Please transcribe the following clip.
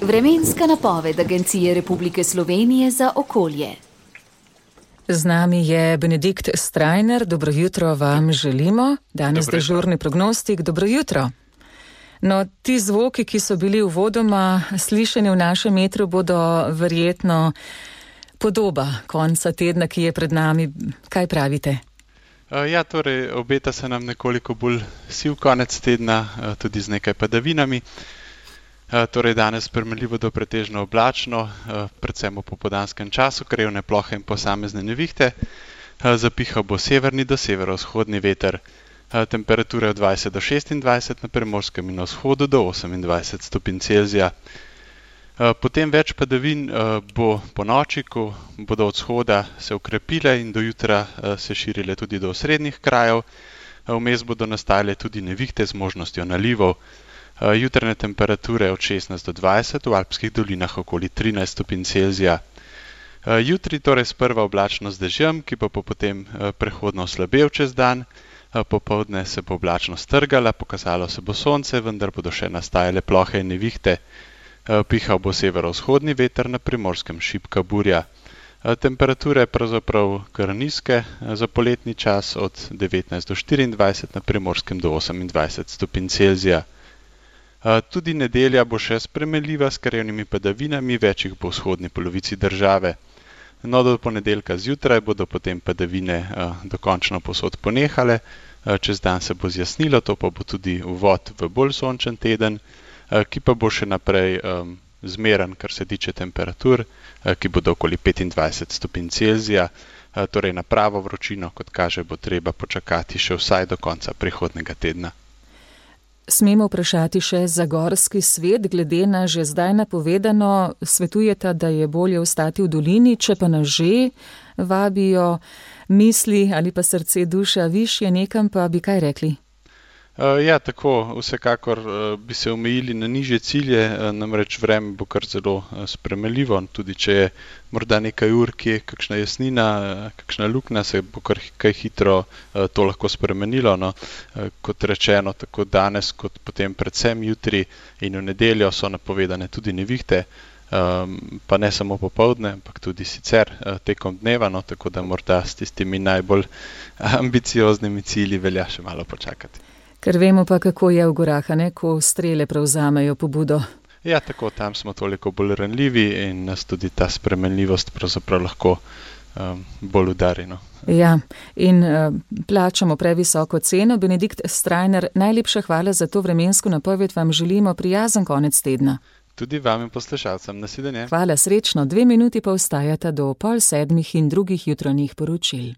Vremenska napoved Agencije Republike Slovenije za okolje. Z nami je Benedikt Strajner, dobro jutro vam želimo. Danes dežurni prognostik, dobro jutro. No, ti zvoki, ki so bili uvodoma slišani v našem metru, bodo verjetno podoba konca tedna, ki je pred nami. Kaj pravite? Ja, torej obeta se nam nekoliko bolj siv konec tedna, tudi z nekaj padavinami. Torej danes primerljivo do pretežno oblačno, predvsem v popoldanskem času, krajevne plohe in posamezne nevihte. Zapihal bo severni do severovzhodni veter. Temperature od 20 do 26 na Primorskem in na vzhodu do 28 stopinj Celzija. Potem več padavin bo po noči, ko bodo od vzhoda se ukrepile in do jutra se širile tudi do osrednjih krajev. Vmes bodo nastajale tudi nevihte z možnostjo nalivov. Jutranje temperature od 16 do 20, v alpskih dolinah okoli 13 stopinj Celzija. Jutri torej sprva oblačno z dežjem, ki pa bo potem prehodno oslabel čez dan. Popoldne se bo oblačnost strgala, pokazalo se bo sonce, vendar bodo še nastajale plohe in nevihte. Pihal bo severovzhodni veter, na Primorskem šibka burja. Temperature pravzaprav kar nizke za poletni čas, od 19 do 24, na Primorskem do 28 stopinj Celzija. Tudi nedelja bo še spremenljiva s krajevnimi padavinami, več jih bo v vzhodni polovici države. No, do ponedeljka zjutraj bodo potem padavine dokončno povsod ponehale, čez dan se bo zjasnilo, to pa bo tudi uvod v bolj sončen teden, ki pa bo še naprej zmeren, kar se tiče temperatur, ki bodo okoli 25 stopinj Celzija, torej na pravo vročino, kot kaže, bo treba počakati še vsaj do konca prihodnjega tedna. Smemo vprašati še za gorski svet, glede na že zdaj napovedano, svetujeta, da je bolje ostati v dolini, če pa nas že vabijo misli ali pa srce, duša višje nekam, pa bi kaj rekli? Ja, tako, vsekakor bi se omejili na nižje cilje, namreč vreme bo kar zelo spremenljivo, tudi če je morda nekaj ur, ki je kakšna jasnina, kakšna luknja, se bo kar kaj hitro to lahko spremenilo. No. Kot rečeno, tako danes, kot potem predvsem jutri in v nedeljo so napovedane tudi nevihte, pa ne samo popoldne, ampak tudi sicer tekom dneva, no, tako da morda s tistimi najbolj ambicioznimi cilji velja še malo počakati. Ker vemo pa, kako je v gorah, ne, ko strele prevzamejo pobudo. Ja, tako, tam smo toliko bolj ranljivi in nas tudi ta spremenljivost pravzaprav lahko bolj udari. No. Ja, in plačamo previsoko ceno. Benedikt Strajner, najlepša hvala za to vremensko napoved, vam želimo prijazen konec tedna. Tudi vam in poslušalcem, nasvidenje. Hvala, srečno, 2 minuti pa ostajata do 6:30 in drugih jutranjih poročil.